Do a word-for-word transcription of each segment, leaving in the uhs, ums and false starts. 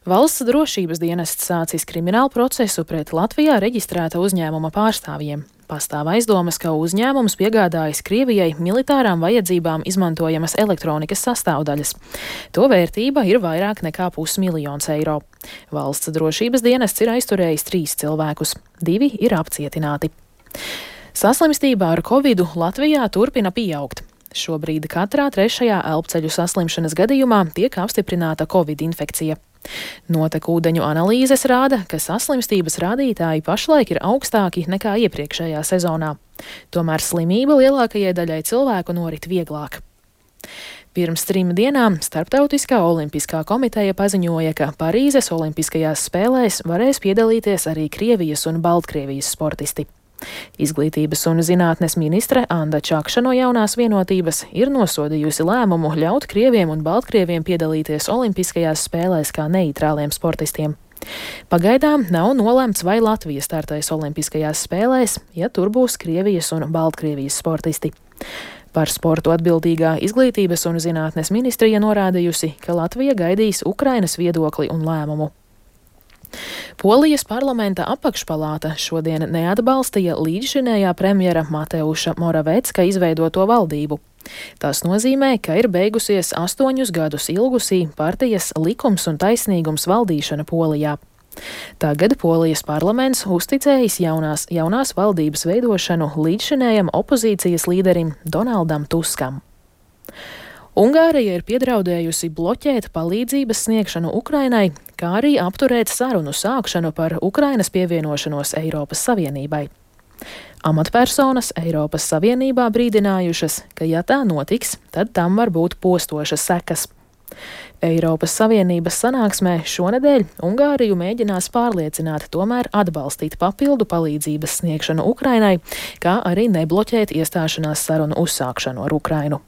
Valsts drošības dienests sācis kriminālu procesu pret Latvijā reģistrēta uzņēmuma pārstāvjiem. Pastāv aizdomas, ka uzņēmums piegādājis Krievijai militārām vajadzībām izmantojamas elektronikas sastāvdaļas. To vērtība ir vairāk nekā pusmiljons eiro. Valsts drošības dienests ir aizturējis trīs cilvēkus. Divi ir apcietināti. Saslimstība ar covidu Latvijā turpina pieaugt. Šobrīd katrā trešajā elpceļu saslimšanas gadījumā tiek apstiprināta covid infekcija. Notekūdeņu analīzes rāda, ka saslimstības rādītāji pašlaik ir augstāki nekā iepriekšējā sezonā. Tomēr slimība lielākajai daļai cilvēku norit vieglāk. Pirms trim dienām Starptautiskā olimpiskā komiteja paziņoja, ka Parīzes olimpiskajās spēlēs varēs piedalīties arī Krievijas un Baltkrievijas sportisti. Izglītības un zinātnes ministre Anda Čakša no Jaunās vienotības ir nosodījusi lēmumu ļaut krieviem un baltkrieviem piedalīties olimpiskajās spēlēs kā neitrāliem sportistiem. Pagaidām nav nolemts, vai Latvija startēs olimpiskajās spēlēs, ja tur būs Krievijas un Baltkrievijas sportisti. Par sportu atbildīgā Izglītības un zinātnes ministrija norādījusi, ka Latvija gaidīs Ukrainas viedokli un lēmumu. Polijas parlamenta apakšpalāta šodien neatbalstīja līdzšinējā premjera Mateuša Moravecka izveidoto valdību. Tas nozīmē, ka ir beigusies astoņus gadus ilgusī partijas Likums un taisnīgums valdīšana Polijā. Tagad Polijas parlaments uzticējis jaunās, jaunās valdības veidošanu līdzšinējam opozīcijas līderim Donaldam Tuskam. Ungārija ir piedraudējusi bloķēt palīdzības sniegšanu Ukrainai, kā arī apturēt sarunu sākšanu par Ukrainas pievienošanos Eiropas Savienībai. Amatpersonas Eiropas Savienībā brīdinājušas, ka ja tā notiks, tad tam var būt postošas sekas. Eiropas Savienības sanāksmē šonedēļ Ungāriju mēģinās pārliecināt tomēr atbalstīt papildu palīdzības sniegšanu Ukrainai, kā arī nebloķēt iestāšanās sarunu uzsākšanu ar Ukrainu.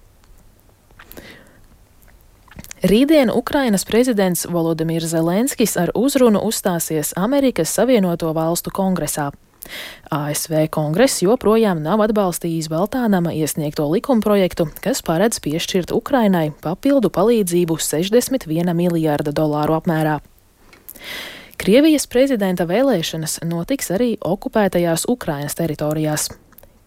Rītdien Ukrainas prezidents Volodimirs Zelenskis ar uzrunu uzstāsies Amerikas Savienoto Valstu kongresā. A S V kongress joprojām nav atbalstījis Baltānama iesniegto likumprojektu, kas paredz piešķirt Ukrainai papildu palīdzību sešdesmit viena miljārda dolāru apmērā. Krievijas prezidenta vēlēšanas notiks arī okupētajās Ukrainas teritorijās.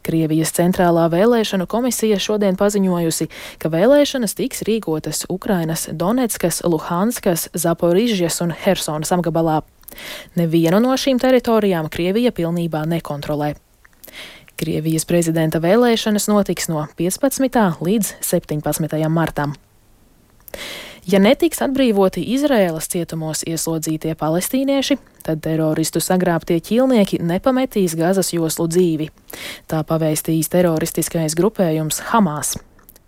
Krievijas centrālā vēlēšanu komisija šodien paziņojusi, ka vēlēšanas tiks rīkotas Ukrainas Doneckas, Luhanskas, Zaporižjas un Hersonas apgabalā. Nevienu no šīm teritorijām Krievija pilnībā nekontrolē. Krievijas prezidenta vēlēšanas notiks no piecpadsmitā līdz septiņpadsmitajam martam. Ja netiks atbrīvoti Izraēlas cietumos ieslodzītie palestīnieši, tad teroristu sagrābtie ķīlnieki nepametīs Gazas joslu dzīvi. Tā pavēstījis teroristiskais grupējums Hamas.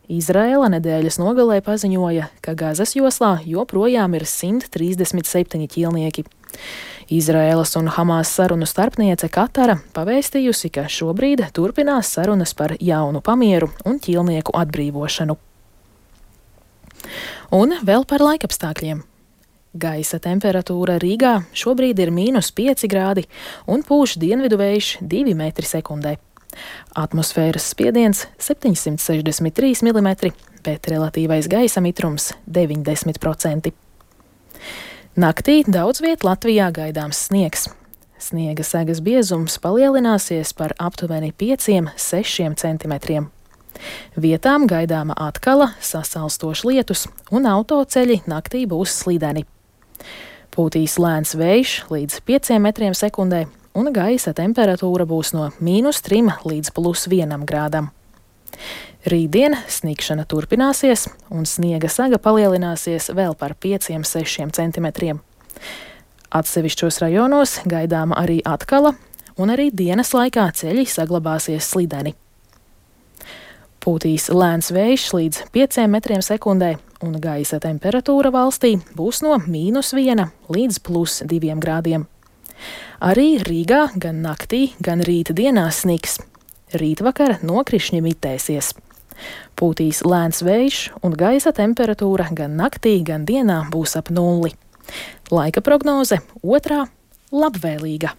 Izraēla nedēļas nogalē paziņoja, ka Gazas joslā joprojām ir simt trīsdesmit septiņi ķīlnieki. Izraēlas un Hamas sarunu starpniece Katara pavēstījusi, ka šobrīd turpinās sarunas par jaunu pamieru un ķīlnieku atbrīvošanu. Un vēl par laikapstākļiem. Gaisa temperatūra Rīgā šobrīd ir mīnus pieci grādi un pūš dienvidu vējš divi metri sekundē. Atmosfēras spiediens septiņsimt sešdesmit trīs milimetri, bet relatīvais gaisa mitrums deviņdesmit procenti. Naktī daudz viet Latvijā gaidāms sniegs. Sniega segas biezums palielināsies par aptuveni pieciem līdz sešiem centimetriem. Vietām gaidāma atkala, sasalstošs lietus un autoceļi naktī būs slideni. Pūtīs lēns vējš līdz pieciem metriem sekundē un gaisa temperatūra būs no mīnus trim līdz plus vienam grādam. Rītdien sniegšana turpināsies un sniega saga palielināsies vēl par pieciem līdz sešiem centimetriem. Atsevišķos rajonos gaidāma arī atkala un arī dienas laikā ceļi saglabāsies slideni. Pūtīs lēns vējš līdz pieciem metriem sekundē, un gaisa temperatūra valstī būs no mīnus viena līdz plus diviem grādiem. Arī Rīgā gan naktī, gan rīta dienā snigs. Rītvakar nokrišņi mitēsies. Pūtīs lēns vējš, un gaisa temperatūra gan naktī, gan dienā būs ap nulli. Laika prognoze otrā - labvēlīga.